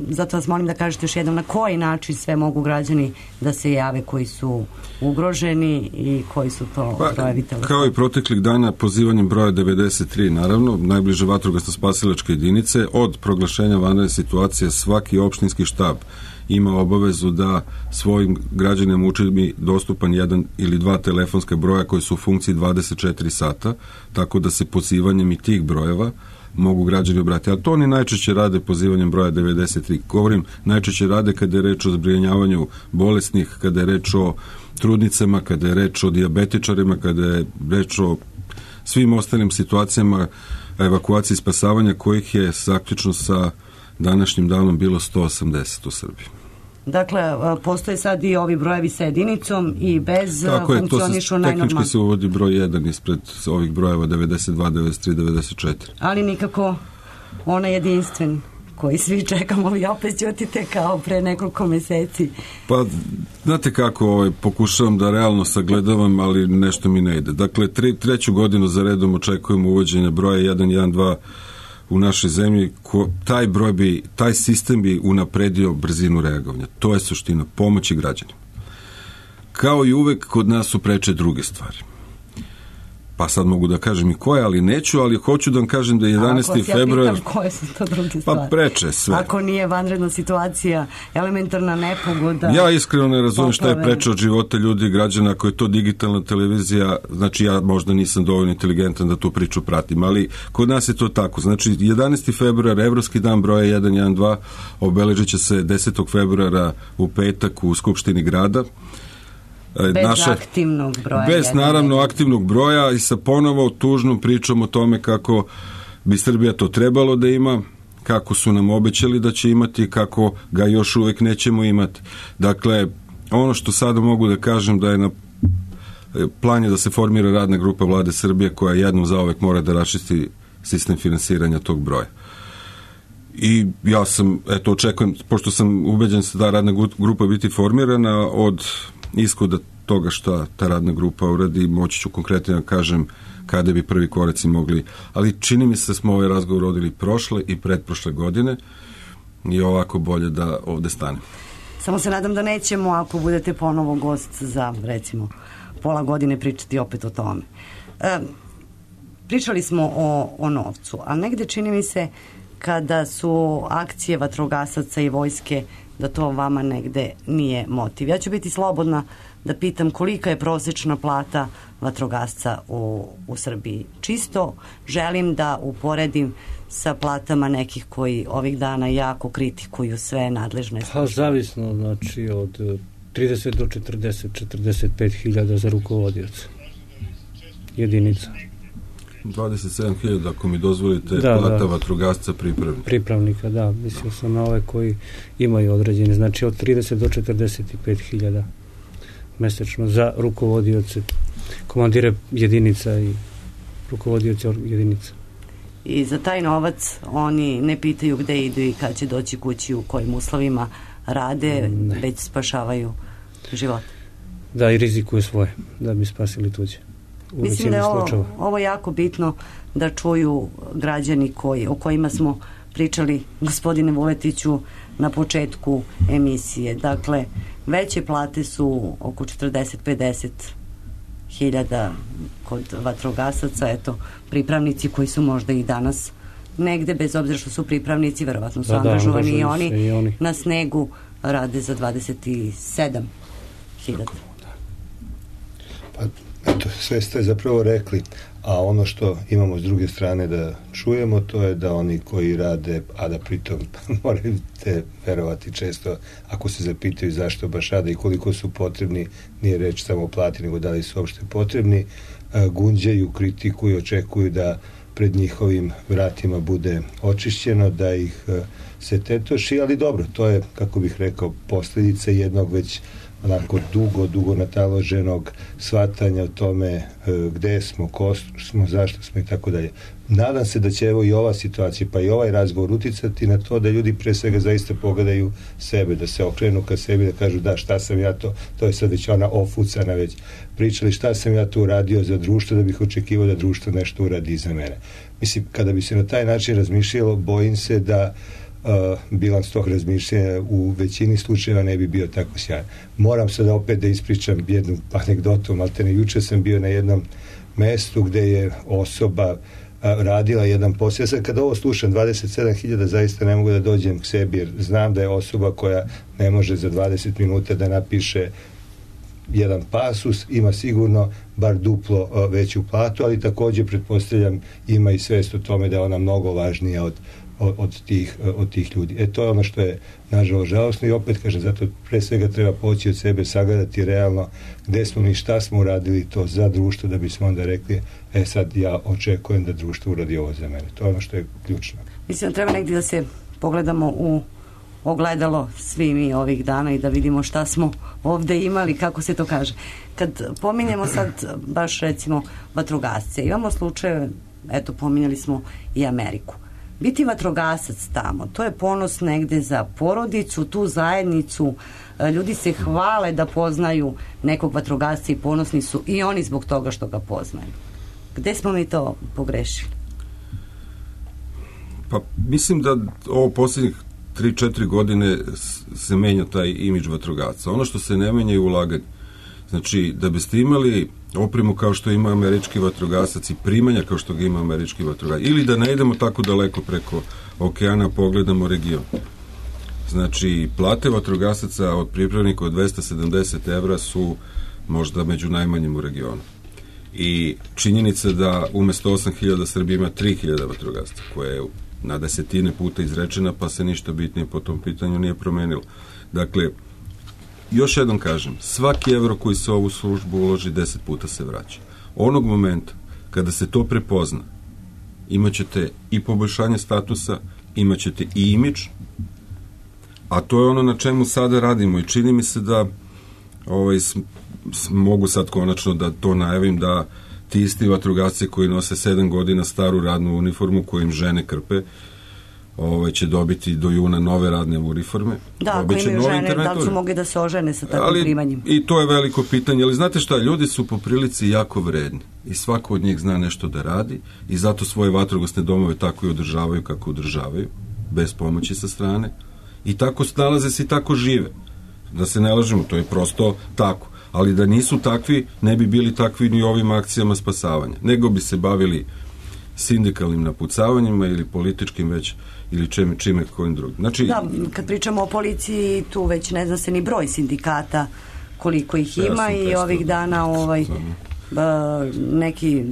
Zato vas molim da kažete još jednom na koji način sve mogu građani da se jave koji su ugroženi i koji su to brojevi telefona. Kao i proteklih dana pozivanjem broja 93, naravno, najbliže vatrogasno-spasilačke jedinice, od proglašenja vanredne situacije svaki opštinski štab ima obavezu da svojim građanima učini dostupan 1 ili 2 telefonska broja koji su u funkciji 24 sata, tako da se pozivanjem i tih brojeva mogu građani obratiti. A to oni najčešće rade pozivanjem broja 93. Govorim, najčešće rade kada je reč o zbrinjavanju bolesnih, kada je reč o trudnicama, kada je reč o dijabetičarima, kada je reč o svim ostalim situacijama evakuacije i spasavanja, kojih je zaključno sa današnjim danom bilo 180 u Srbiji. Dakle, postoje sad i ovi brojevi sa jedinicom i bez funkcionišu najnormalno. Tehnički se uvodi broj 1 ispred ovih brojeva 92, 93, 94. Ali nikako onaj jedinstven koji svi čekamo, ali opet ćutite kao pre nekoliko meseci. Pa, znate kako, pokušavam da realno sagledavam, ali nešto mi ne ide. Dakle, treću godinu za redom očekujemo uvođenje broja 112 u našoj zemlji, taj sistem bi unapredio brzinu reagovanja. To je suština, pomoći građanima. Kao i uvek, kod nas su preče druge stvari. Pa sad mogu da kažem i koje, ali neću, ali hoću da vam kažem da je 11. februar... Ako koje su to druge stvari? Pa preče sve. Ako nije vanredna situacija, elementarna nepogoda... Ja iskreno ne razumijem šta je preče od života ljudi i građana, ako je to digitalna televizija, znači ja možda nisam dovoljno inteligentan da tu priču pratim, ali kod nas je to tako. Znači 11. februar, Evropski dan broja 112, obeležit će se 10. februara u petak u Skupštini grada. Aktivnog broja. Bez naravno aktivnog broja i sa ponovo tužnom pričom o tome kako bi Srbija to trebalo da ima, kako su nam obećali da će imati, kako ga još uvek nećemo imati. Dakle, ono što sada mogu da kažem da je na plan je da se formira radna grupa Vlade Srbije koja jednom zauvek mora da raščisti sistem finansiranja tog broja. I ja sam, očekujem, pošto sam ubeđen da ta radna grupa biti formirana, od ishoda toga šta ta radna grupa uradi, moći ću konkretno da kažem kada bi prvi koraci mogli, ali čini mi se da smo ovaj razgovor vodili prošle i pretprošle godine i ovako bolje da ovde stane. Samo se nadam da nećemo, ako budete ponovo gost za, recimo, pola godine pričati opet o tome. Pričali smo o novcu, ali negde čini mi se kada su akcije vatrogasaca i vojske da to vama negde nije motiv. Ja ću biti slobodna da pitam kolika je prosečna plata vatrogasca u Srbiji. Čisto želim da uporedim sa platama nekih koji ovih dana jako kritikuju sve nadležne službe. Pa zavisno, znači od 30 do 45 hiljada za rukovodioce jedinica. 27.000, ako mi dozvolite, plata vatrogasca pripravnika, da, mislim sam na ove koji imaju određeni, znači od 30 do 45 hiljada mesečno za rukovodioce, komandire jedinica i rukovodioce jedinica. I za taj novac oni ne pitaju gde idu i kad će doći kući, u kojim uslovima rade, već spašavaju život. Da, i rizikuju svoje, da bi spasili tuđe. Mislim da je ovo jako bitno da čuju građani o kojima smo pričali, gospodine Vuletiću, na početku emisije. Dakle, veće plate su oko 40-50 hiljada kod vatrogasaca, pripravnici koji su možda i danas negde, bez obzira što su pripravnici, verovatno su angažovani i oni na snegu rade za 27.000. Pa, eto, sve ste zapravo rekli, a ono što imamo s druge strane da čujemo, to je da oni koji rade, a da pritom morate verovati često, ako se zapitaju zašto baš rade i koliko su potrebni, nije reč samo o plati, nego da li su uopšte potrebni, gunđaju, kritikuju, očekuju da pred njihovim vratima bude očišćeno, da ih se tetoši, ali dobro, to je, kako bih rekao, posljedica jednog već onako dugo nataloženog shvatanja o tome gde smo, ko smo, zašto smo i tako dalje. Nadam se da će evo i ova situacija, pa i ovaj razgovor uticati na to da ljudi pre svega zaista pogledaju sebe, da se okrenu ka sebi, da kažu da, šta sam ja to je sad već ona ofucana već pričali, šta sam ja tu uradio za društvo, da bih očekivao da društvo nešto uradi za mene. Mislim, kada bi se na taj način razmišljalo, bojim se da bilans tog razmišljanja u većini slučajeva ne bi bio tako sjajan. Moram sad opet da ispričam jednu anegdotu, maltene juče sam bio na jednom mestu gde je osoba radila jedan posao. Ja sad kada ovo slušam, 27.000, zaista ne mogu da dođem k sebi, jer znam da je osoba koja ne može za 20 minuta da napiše jedan pasus, ima sigurno bar duplo veću platu, ali takođe pretpostavljam ima i svest o tome da je ona mnogo važnija od tih ljudi. To je ono što je nažalost žalosno i opet kažem, zato pre svega treba poći od sebe, sagledati realno gde smo mi, šta smo uradili to za društvo, da bismo onda rekli sad ja očekujem da društvo uradi ovo za mene. To je ono što je ključno. Mislim da treba negdje da se pogledamo u ogledalo svi mi ovih dana i da vidimo šta smo ovde imali, kako se to kaže. Kad pominjemo sad baš recimo vatrogasce, imamo slučaje, eto pominjali smo i Ameriku. Biti vatrogasac tamo, to je ponos negde za porodicu, tu zajednicu, ljudi se hvale da poznaju nekog vatrogasca i ponosni su i oni zbog toga što ga poznaju. Gde smo mi to pogrešili? Pa mislim da ovo posljednjih 3-4 godine se menja taj imidž vatrogasca. Ono što se ne menja je ulaganje. Znači, da biste imali opremu kao što ima američki vatrogasac i primanja kao što ga ima američki vatrogasac, ili da ne idemo tako daleko preko okeana, pogledamo region. Znači, plate vatrogasaca od pripravnika od 270 evra su možda među najmanjim u regionu. I činjenica da umesto 8.000 Srbija ima 3.000 vatrogasaca, koje je na desetine puta izrečena, pa se ništa bitnije po tom pitanju nije promenilo. Dakle, još jednom kažem, svaki evro koji se u ovu službu uloži 10 puta se vraća. Onog momenta kada se to prepozna, imaćete i poboljšanje statusa, imaćete i imidž, a to je ono na čemu sada radimo i čini mi se da mogu sad konačno da to najavim, da ti isti vatrogasci koji nose 7 godina staru radnu uniformu koju im žene krpe, će dobiti do juna nove radne uniforme. Da, ako imaju žene, da li su mogli da se ožene sa takvim primanjima? I to je veliko pitanje, ali znate šta, ljudi su po prilici jako vredni i svako od njih zna nešto da radi i zato svoje vatrogasne domove tako i održavaju kako održavaju, bez pomoći sa strane, i tako snalaze se i tako žive. Da se ne lažemo, to je prosto tako. Ali da nisu takvi, ne bi bili takvi ni ovim akcijama spasavanja. Nego bi se bavili sindikalnim napucavanjima ili političkim već, ili čime kojim drugim. Znači, da, kad pričamo o policiji, tu već ne zna se ni broj sindikata, koliko ih ima i ovih dana neki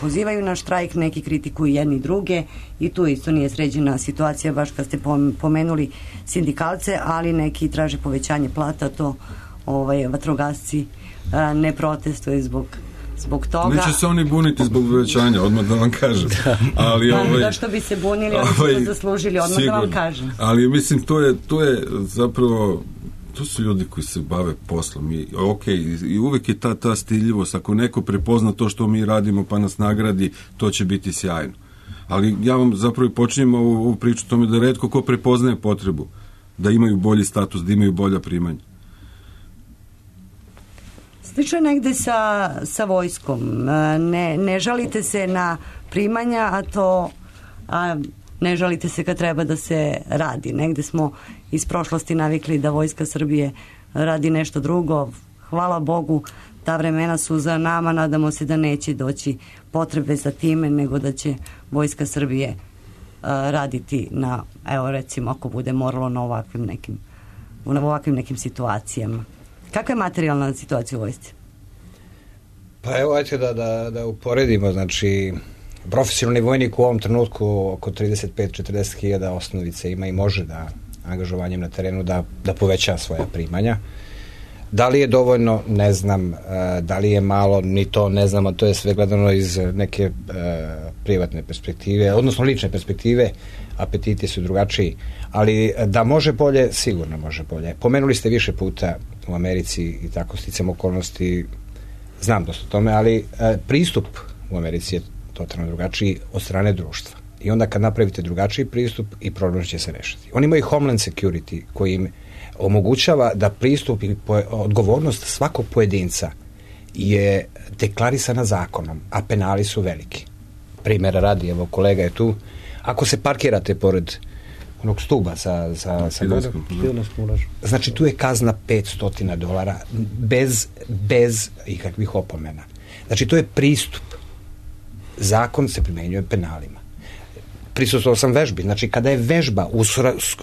pozivaju na štrajk, neki kritikuju jedni druge i tu isto nije sređena situacija, baš kad ste pomenuli sindikalce, ali neki traže povećanje plata, to vatrogasci ne protestuje zbog toga. Neće se oni buniti zbog povećanja, odmah da vam kažem. Ali zašto bi se bunili, oni su to zaslužili, odmah sigurno, da vam kažem. Ali mislim, to je zapravo, to su ljudi koji se bave poslom i uvek je ta stiljivost, ako neko prepozna to što mi radimo pa nas nagradi, to će biti sjajno. Ali ja vam zapravo počinjem ovu priču tome da retko ko prepoznaje potrebu da imaju bolji status, da imaju bolja primanja. Slično je negde sa vojskom. Ne žalite se na primanja, a ne žalite se kad treba da se radi. Negde smo iz prošlosti navikli da Vojska Srbije radi nešto drugo. Hvala Bogu, ta vremena su za nama, nadamo se da neće doći potrebe za time, nego da će Vojska Srbije raditi na, evo recimo ako bude moralo na ovakvim nekim situacijama. Kakva je materijalna situacija u vojsci? Pa evo, ajte da uporedimo, znači profesionalni vojnik u ovom trenutku oko 35-40 hiljada osnovice ima i može da angažovanjem na terenu da poveća svoja primanja. Da li je dovoljno, ne znam, da li je malo, ni to ne znam, a to je sve gledano iz neke privatne perspektive, odnosno lične perspektive, apetiti su drugačiji, ali da može bolje, sigurno može bolje. Pomenuli ste više puta u Americi i tako sticam okolnosti, znam dosta o tome, ali pristup u Americi je totalno drugačiji od strane društva. I onda kad napravite drugačiji pristup i problem će se rešiti. Oni imaju Homeland Security koji im omogućava da pristup i odgovornost svakog pojedinca je deklarisana zakonom, a penali su veliki. Primjera radi, evo kolega je tu, ako se parkirate pored onog stuba sa znači tu je kazna $500 bez ikakvih opomena. Znači to je pristup. Zakon se primenjuje penalima. Prisustvovao sam vežbi, znači kada je vežba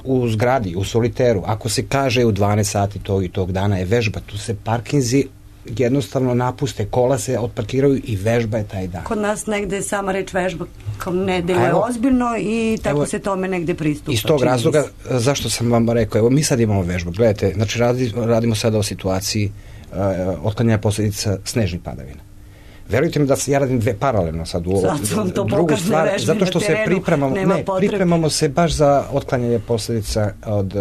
u zgradi, u soliteru, ako se kaže u 12 sati tog i tog dana je vežba, tu se parkinzi jednostavno napuste, kola se otparkiraju i vežba je taj dan. Kod nas negde sama reč vežba kao ne deluje ozbiljno i tako se tome negde pristupa. Iz tog razloga, zašto sam vam rekao, evo mi sad imamo vežbu, gledajte, znači radimo sada o situaciji otklanjanja posljedica snežnih padavina. Verujte mi da ja radim dve paralelno sad u ovo. Drugu stvar, zato što se pripremamo se baš za otklanjanje posljedica od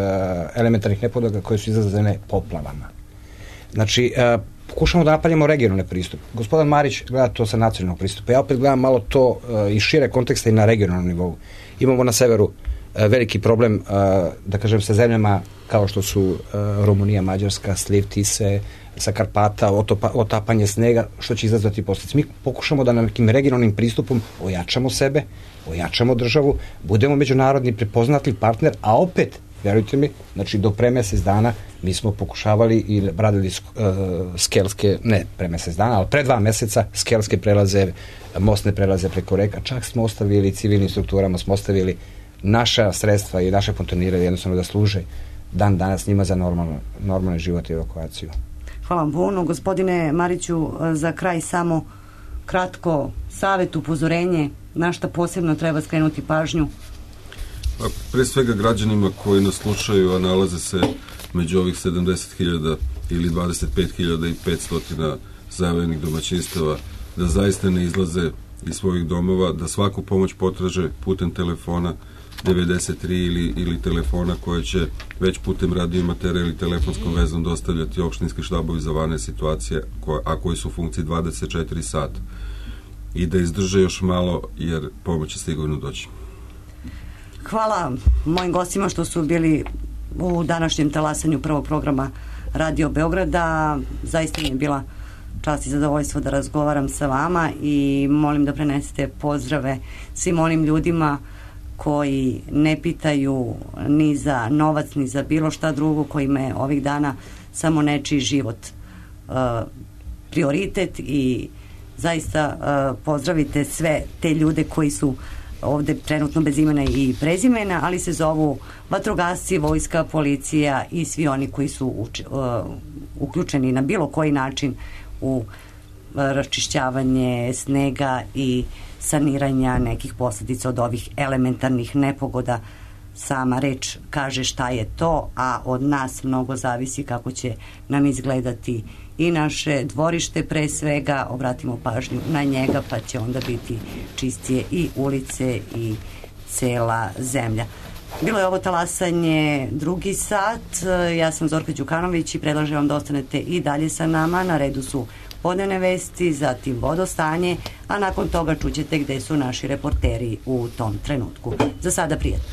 elementarnih nepogoda koje su izazvane poplavama. Znači, pokušamo da napravimo regionalne pristupe. Gospodin Marić gleda to sa nacionalnog pristupa. Ja opet gledam malo to iz šire konteksta i na regionalnom nivou. Imamo na severu veliki problem, da kažem, sa zemljama kao što su Rumunija, Mađarska, sliv Tise, sa Karpata, otapanje snega, što će izazvati posljedice. Mi pokušamo da na nekim regionalnim pristupom ojačamo sebe, ojačamo državu, budemo međunarodni prepoznatljiv partner, a opet, verujte mi, znači do pre mesec dana mi smo pokušavali i radili skelske, ne pre mesec dana, ali pre 2 meseca skelske prelaze, mostne prelaze preko reka, čak smo ostavili civilnim strukturama, smo ostavili naša sredstva i naše pontonire jednostavno da služe dan danas njima za normalni život i evakuaciju. Hvala vam puno. Gospodine Mariću, za kraj samo kratko savjet, upozorenje, na šta posebno treba skrenuti pažnju? Pre svega građanima koji nas slušaju, a nalaze se među ovih 70.000 ili 25.500 zavejenih domaćinstava, da zaista ne izlaze iz svojih domova, da svaku pomoć potraže putem telefona 93 ili telefona koje će već putem radiomatera ili telefonskom vezom dostavljati opštinski štabovi za vanredne situacije, a koji su u funkciji 24 sata. I da izdrže još malo, jer pomoć će sigurno doći. Hvala mojim gostima što su bili u današnjem talasanju prvog programa Radio Beograda. Zaista mi je bila čast i zadovoljstvo da razgovaram sa vama i molim da prenesete pozdrave svim onim ljudima koji ne pitaju ni za novac, ni za bilo šta drugo, kojima je ovih dana samo nečiji život prioritet i zaista pozdravite sve te ljude koji su ovde trenutno bez imena i prezimena, ali se zovu vatrogasci, vojska, policija i svi oni koji su uključeni na bilo koji način u raščišćavanje snega i saniranja nekih posljedica od ovih elementarnih nepogoda. Sama reč kaže šta je to, a od nas mnogo zavisi kako će nam izgledati i naše dvorište, pre svega obratimo pažnju na njega, pa će onda biti čistije i ulice i cela zemlja. Bilo je ovo talasanje drugi sat, ja sam Zorka Đukanović i predlažem vam da ostanete i dalje sa nama. Na redu su podnevne vesti, zatim vodostanje, a nakon toga čućete gde su naši reporteri u tom trenutku. Za sada prijatno.